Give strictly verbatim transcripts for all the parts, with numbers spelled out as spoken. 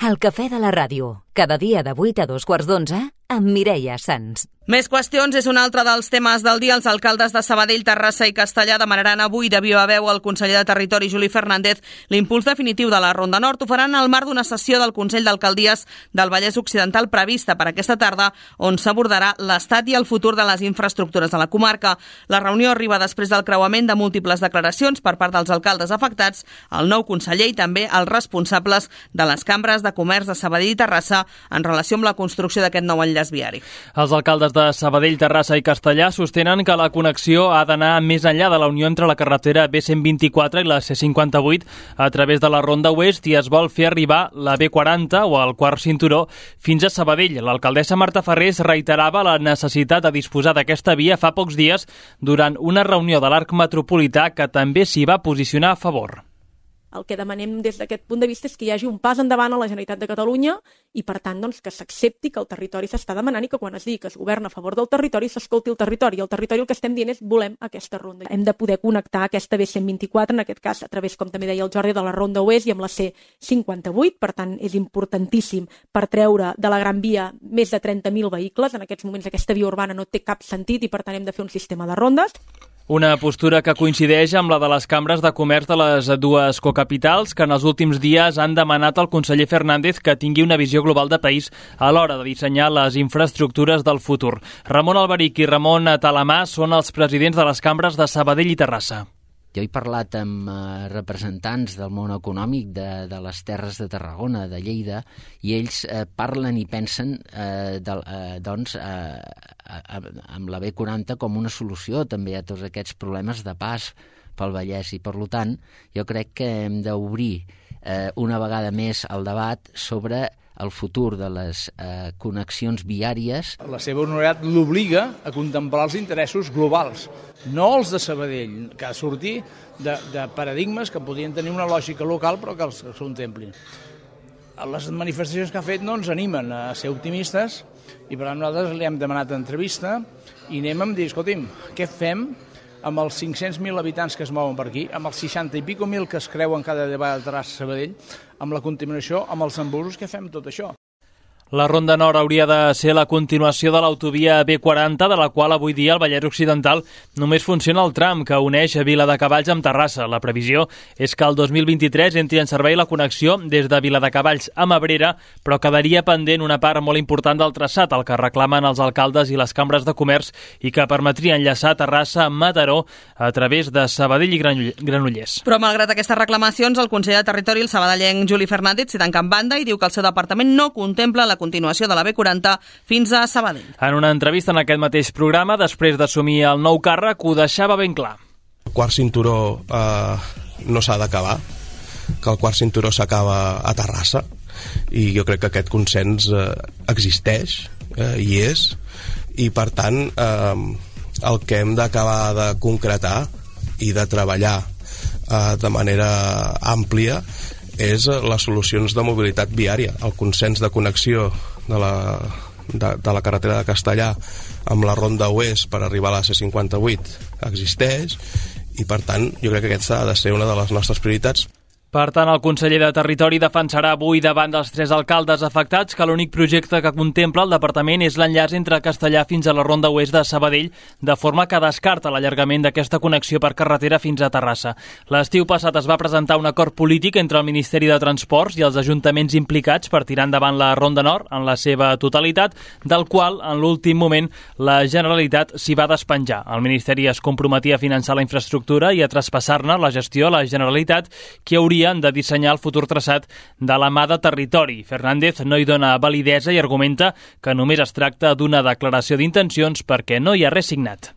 El cafè de la ràdio, cada dia de vuit a dos quarts d'onze, amb Mireia Sans. Més qüestions és un altre dels temes del dia. Els alcaldes de Sabadell, Terrassa i Castellar demanaran avui de viva veu al conseller de Territori, Juli Fernández, l'impuls definitiu de la Ronda Nord. Ho faran al marc d'una sessió del Consell d'Alcaldies del Vallès Occidental prevista per aquesta tarda, on s'abordarà l'estat i el futur de les infraestructures de la comarca. La reunió arriba després del creuament de múltiples declaracions per part dels alcaldes afectats, el nou conseller i també els responsables de les cambres de comerç de Sabadell i Terrassa en relació amb la construcció d'aquest nou enllaç viari. Els alcaldes de Sabadell, Terrassa i Castellar sostenen que la connexió ha d'anar més enllà de la unió entre la carretera B cent vint-i-quatre i la C cinquanta-vuit a través de la Ronda Oest i es vol fer arribar la B quaranta o el quart cinturó fins a Sabadell. L'alcaldessa Marta Ferrés reiterava la necessitat de disposar d'aquesta via fa pocs dies durant una reunió de l'Arc Metropolità que també s'hi va posicionar a favor. El que demanem des d'aquest punt de vista és que hi hagi un pas endavant a la Generalitat de Catalunya i, per tant, doncs, que s'accepti que el territori s'està demanant i que quan es digui que es governa a favor del territori s'escolti el territori. El territori el que estem dient és volem aquesta ronda. Hem de poder connectar aquesta B cent vint-i-quatre, en aquest cas a través, com també deia el Jordi, de la Ronda Oest i amb la C cinquanta-vuit. Per tant, és importantíssim per treure de la Gran Via més de trenta mil vehicles. En aquests moments aquesta via urbana no té cap sentit i, per tant, hem de fer un sistema de rondes. Una postura que coincideix amb la de les cambres de comerç de les dues cocapitals, que en els últims dies han demanat al conseller Fernández que tingui una visió global de país a l'hora de dissenyar les infraestructures del futur. Ramon Alberich i Ramon Talamà són els presidents de les cambres de Sabadell i Terrassa. Jo he parlat amb eh, representants del món econòmic de, de les terres de Tarragona, de Lleida, i ells eh, parlen i pensen eh, de, eh, doncs, eh, amb la B quaranta com una solució també a tots aquests problemes de pas pel Vallès. I, per tant, jo crec que hem d'obrir eh, una vegada més el debat sobre el futur de les eh, connexions viàries. La seva honorabilitat l'obliga a contemplar els interessos globals, no els de Sabadell, que ha de sortir de, de paradigmes que podrien tenir una lògica local però que els contemplin. Les manifestacions que ha fet no ens animen a ser optimistes i per tant nosaltres li hem demanat entrevista i anem a dir, escolti'm, què fem amb els cinc-cents mil habitants que es mouen per aquí, amb els seixanta i pico mil que es creuen cada vegada a Terrassa Sabadell, amb la contaminació, amb els embussos, què fem tot això? La Ronda Nord hauria de ser la continuació de l'autovia B quaranta, de la qual avui dia el Vallès Occidental només funciona el tram que uneix Viladecavalls amb Terrassa. La previsió és que el dos mil vint-i-tres entri en servei la connexió des de Viladecavalls a Abrera, però quedaria pendent una part molt important del traçat, el que reclamen els alcaldes i les cambres de comerç i que permetria enllaçar Terrassa amb Mataró a través de Sabadell i Granollers. Però malgrat aquestes reclamacions, el conseller de Territori, el sabadellenc Juli Fernández, s'hi tanca en banda i diu que el seu departament no contempla la continuació de la B quaranta fins a Sabadell. En una entrevista en aquest mateix programa, després d'assumir el nou càrrec, ho deixava ben clar. El quart cinturó eh, no s'ha d'acabar, que el quart cinturó s'acaba a Terrassa, i jo crec que aquest consens eh, existeix, eh, i és, i per tant eh, el que hem d'acabar de concretar i de treballar eh, de manera àmplia és les solucions de mobilitat viària. El consens de connexió de la, de, de la carretera de Castellar amb la Ronda Oest per arribar a la C cinquanta-vuit existeix i, per tant, jo crec que aquesta ha de ser una de les nostres prioritats. Per tant, el conseller de Territori defensarà avui davant dels tres alcaldes afectats que l'únic projecte que contempla el departament és l'enllaç entre Castellar fins a la Ronda Oest de Sabadell, de forma que descarta l'allargament d'aquesta connexió per carretera fins a Terrassa. L'estiu passat es va presentar un acord polític entre el Ministeri de Transports i els ajuntaments implicats per tirar endavant la Ronda Nord en la seva totalitat, del qual, en l'últim moment, la Generalitat s'hi va despenjar. El Ministeri es comprometia a finançar la infraestructura i a traspassar-ne la gestió a la Generalitat, que hauria de dissenyar el futur traçat de la mà de Territori. Fernández no hi dona validesa i argumenta que només es tracta d'una declaració d'intencions perquè no hi ha res signat.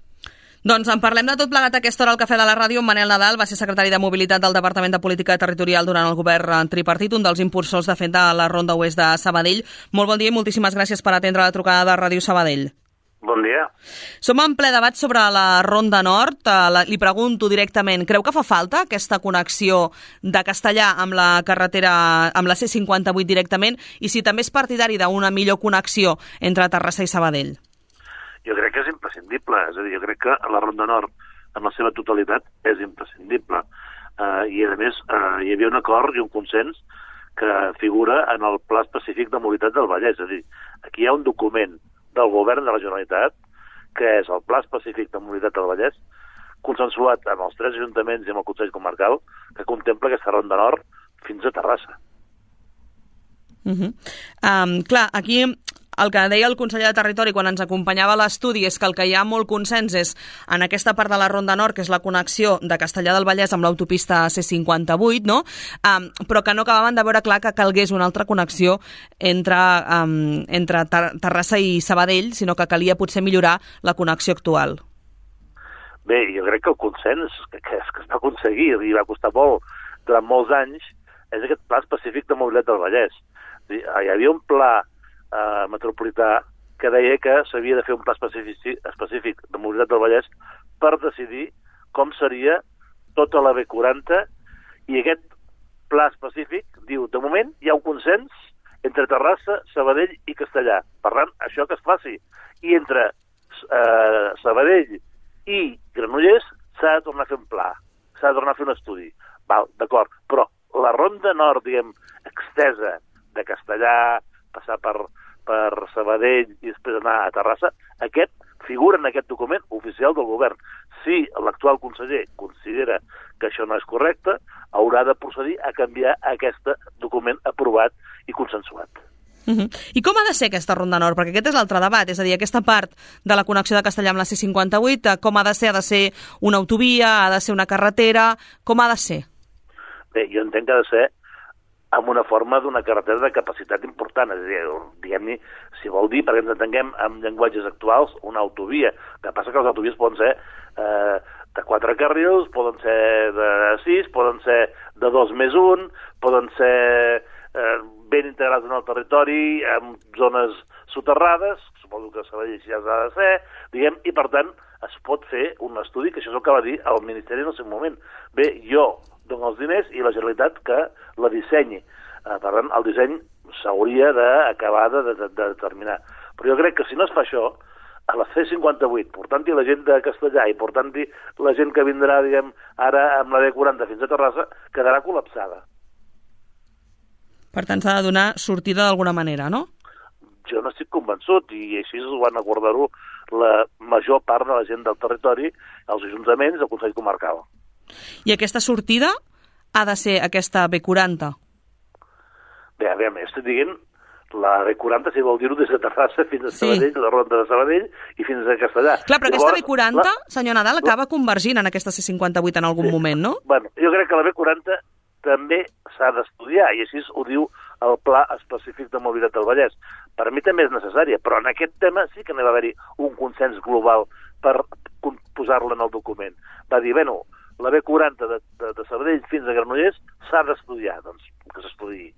Doncs en parlem de tot plegat a aquesta hora al Cafè de la Ràdio. Manel Nadal va ser secretari de Mobilitat del Departament de Política Territorial durant el govern tripartit, un dels impulsors de fet de la Ronda Oest de Sabadell. Molt bon dia i moltíssimes gràcies per atendre la trucada de Ràdio Sabadell. Bon dia. Som en ple debat sobre la Ronda Nord. Uh, li pregunto directament, creu que fa falta aquesta connexió de Castellar amb la carretera, amb la C cinquanta-vuit directament, i si també és partidari d'una millor connexió entre Terrassa i Sabadell? Jo crec que és imprescindible. És a dir, jo crec que la Ronda Nord, en la seva totalitat, és imprescindible. Uh, I, a més, uh, hi havia un acord i un consens que figura en el Pla Específic de Mobilitat del Vallès. És a dir, aquí hi ha un document del Govern de la Generalitat, que és el Pla Específic de Mobilitat del Vallès, consensuat amb els tres ajuntaments i amb el Consell Comarcal, que contempla aquesta ronda nord fins a Terrassa. Uh -huh. um, clar, aquí el que deia el conseller de Territori quan ens acompanyava a l'estudi és que el que hi ha molt consens és en aquesta part de la Ronda Nord, que és la connexió de Castellar del Vallès amb l'autopista C cinquanta-vuit, no? Um, però que no acabaven de veure clar que calgués una altra connexió entre, um, entre Ter Terrassa i Sabadell, sinó que calia potser millorar la connexió actual. Bé, jo crec que el consens que, que, que es va aconseguir i va costar molt durant molts anys és aquest Pla Específic de Mobilitat del Vallès. Hi havia un pla eh, metropolità que deia que s'havia de fer un pla específic, específic de mobilitat del Vallès per decidir com seria tota la B quaranta, i aquest pla específic diu, de moment hi ha un consens entre Terrassa, Sabadell i Castellar. Per tant, això que es faci. I entre eh, Sabadell i Granollers s'ha de tornar a fer un pla, s'ha de tornar a fer un estudi. Val, d'acord, però la ronda nord, diguem, extesa de Castellar, passar per, per Sabadell i després anar a Terrassa, aquest figura en aquest document oficial del govern. Si l'actual conseller considera que això no és correcte, haurà de procedir a canviar aquest document aprovat i consensuat. Uh -huh. I com ha de ser aquesta Ronda Nord? Perquè aquest és l'altre debat, és a dir, aquesta part de la connexió de Castellar amb la C cinquanta-vuit, com ha de ser? Ha de ser una autovia? Ha de ser una carretera? Com ha de ser? Bé, jo entenc que ha de ser amb una forma d'una carretera de capacitat important, és a dir, diguem-ne, si vol dir, perquè ens entenguem amb llenguatges actuals, una autovia. El que passa que les autovies poden ser eh, de quatre carrils, poden ser de sis, poden ser de dos més un, poden ser eh, ben integrats en el territori, en zones soterrades, suposo que Sabadell ja ha de ser, diguem, i per tant es pot fer un estudi, que això és el que va dir el Ministeri en el seu moment. Bé, jo dono els diners i la Generalitat que la dissenyi. Per tant, el disseny s'hauria d'acabar de, de, de determinar. Però jo crec que si no es fa això, a la C cinquanta-vuit, portant-hi la gent de Castellar i portant-hi la gent que vindrà, diguem, ara amb la B quaranta fins a Terrassa, quedarà col·lapsada. Per tant, s'ha de donar sortida d'alguna manera, no? Jo no estic convençut, i així ho van acordar-ho la major part de la gent del territori, els ajuntaments i el Consell Comarcal. I aquesta sortida ha de ser aquesta B quaranta? Bé, a veure, estic dient la B quaranta, si vol dir-ho, des de Terrassa fins a Sabadell, sí. La ronda de Sabadell i fins a Castellar. Clar, però Llavors, aquesta B quaranta, la... senyor Nadal, acaba convergint en aquesta C cinquanta-vuit en algun sí. moment, no? Bueno, jo crec que la B quaranta també s'ha d'estudiar, i així ho diu el Pla Específic de Mobilitat del Vallès. Per mi també és necessària, però en aquest tema sí que n'hi va haver-hi un consens global per posar-la en el document. Va dir, bueno, la B quaranta de, de, de Sabadell fins a Granollers s'ha d'estudiar, doncs, que s'estudiï.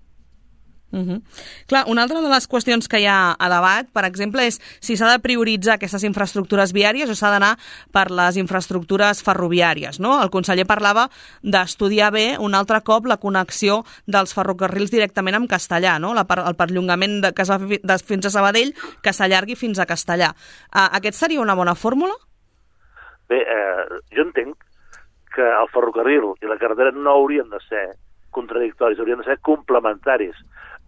Uh -huh. Clar, una altra de les qüestions que hi ha a debat, per exemple, és si s'ha de prioritzar aquestes infraestructures viàries o s'ha d'anar per les infraestructures ferroviàries, no? El conseller parlava d'estudiar bé un altre cop la connexió dels ferrocarrils directament amb Castellar, no? La, el perllongament de, que es va fer de, fins a Sabadell, que s'allargui fins a Castellar. Uh, aquest seria una bona fórmula? Bé, eh, jo entenc que el ferrocarril i la carretera no haurien de ser contradictoris, haurien de ser complementaris.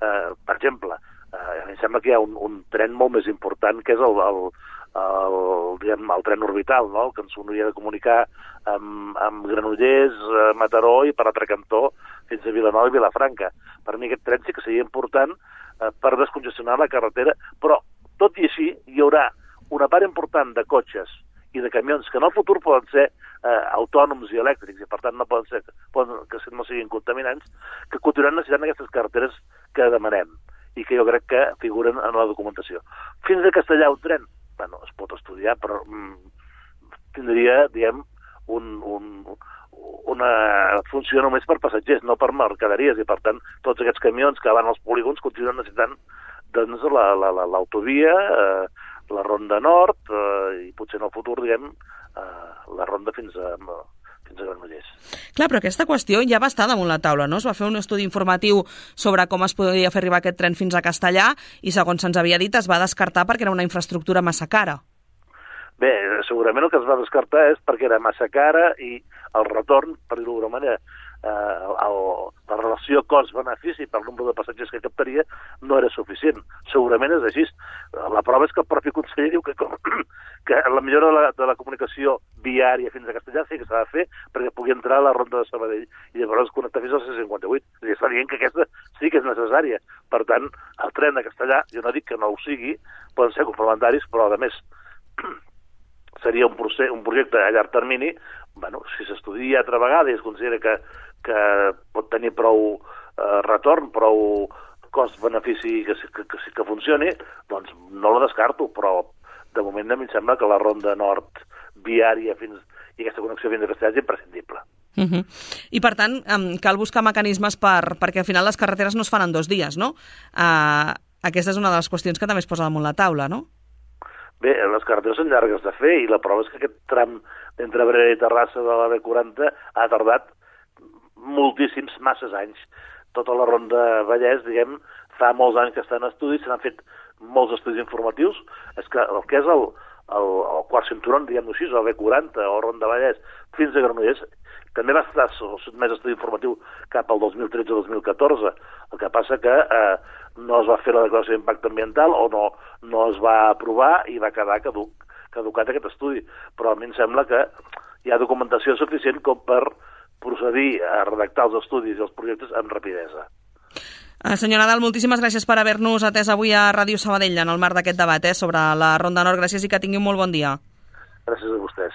Uh, per exemple, uh, a mi em sembla que hi ha un, un tren molt més important, que és el, el, el, diguem, el tren orbital, no? El que ens hauria de comunicar amb, amb Granollers, uh, Mataró i per l'altre cantó fins a Vilanova i Vilafranca. Per mi aquest tren sí que seria important uh, per descongestionar la carretera, però tot i així hi haurà una part important de cotxes i de camions que en el futur poden ser eh, autònoms i elèctrics, i per tant no poden ser, poden, que no siguin contaminants, que continuaran necessitant aquestes carreteres que demanem i que jo crec que figuren en la documentació. Fins a Castellar un tren, bueno, es pot estudiar, però mm, tindria, diguem, un, un, una funció només per passatgers, no per mercaderies, i per tant tots aquests camions que van als polígons continuen necessitant doncs l'autovia, la, eh, la Ronda Nord eh, i potser en el futur, diguem, eh, la Ronda fins a, fins a Granollers. Clar, però aquesta qüestió ja va estar damunt la taula, no? Es va fer un estudi informatiu sobre com es podia fer arribar aquest tren fins a Castellar i, segons se'ns havia dit, es va descartar perquè era una infraestructura massa cara. Bé, segurament el que es va descartar és perquè era massa cara i el retorn, per dir-ho d'alguna manera, eh, el, la relació cost-benefici per nombre de passatgers que captaria no era suficient. Segurament és així. La prova és que el propi conseller diu que, com, que la millora de la, de la comunicació viària fins a Castellà sí que s'ha de fer perquè pugui entrar a la ronda de Sabadell i llavors connectar fins al C cinquanta-vuit. I està dient que aquesta sí que és necessària. Per tant, el tren de Castellà, jo no dic que no ho sigui, poden ser complementaris, però a més seria un, procés, un projecte a llarg termini. Bueno, si s'estudia altra vegada i es considera que, que pot tenir prou eh, retorn, prou cost-benefici que, que, que, que funcioni, doncs no la descarto, però de moment a mi em sembla que la ronda nord viària fins, i aquesta connexió fins a Castellà és imprescindible. Uh -huh. I per tant, um, cal buscar mecanismes per, perquè al final les carreteres no es fan en dos dies, no? Uh, aquesta és una de les qüestions que també es posa damunt la taula, no? Bé, les carreteres són llargues de fer i la prova és que aquest tram d'entre Abrera i Terrassa de la B quaranta ha tardat moltíssims, masses anys. Tota la ronda Vallès, diguem, fa molts anys que està en estudis, se n'han fet molts estudis informatius. És que el que és el, el, el quart cinturó, diguem-ho així, o B quaranta o Ronda Vallès, fins a Granollers, també va estar sotmès a estudi informatiu cap al dos mil tretze o dos mil catorze. El que passa que eh, no es va fer la declaració d'impacte ambiental o no, no es va aprovar i va quedar caduc, caducat aquest estudi. Però a mi em sembla que hi ha documentació suficient com per procedir a redactar els estudis i els projectes amb rapidesa. Uh, senyor Nadal, moltíssimes gràcies per haver-nos atès avui a Ràdio Sabadell en el marc d'aquest debat eh, sobre la Ronda Nord. Gràcies i que tingui un molt bon dia. Gràcies a vostès.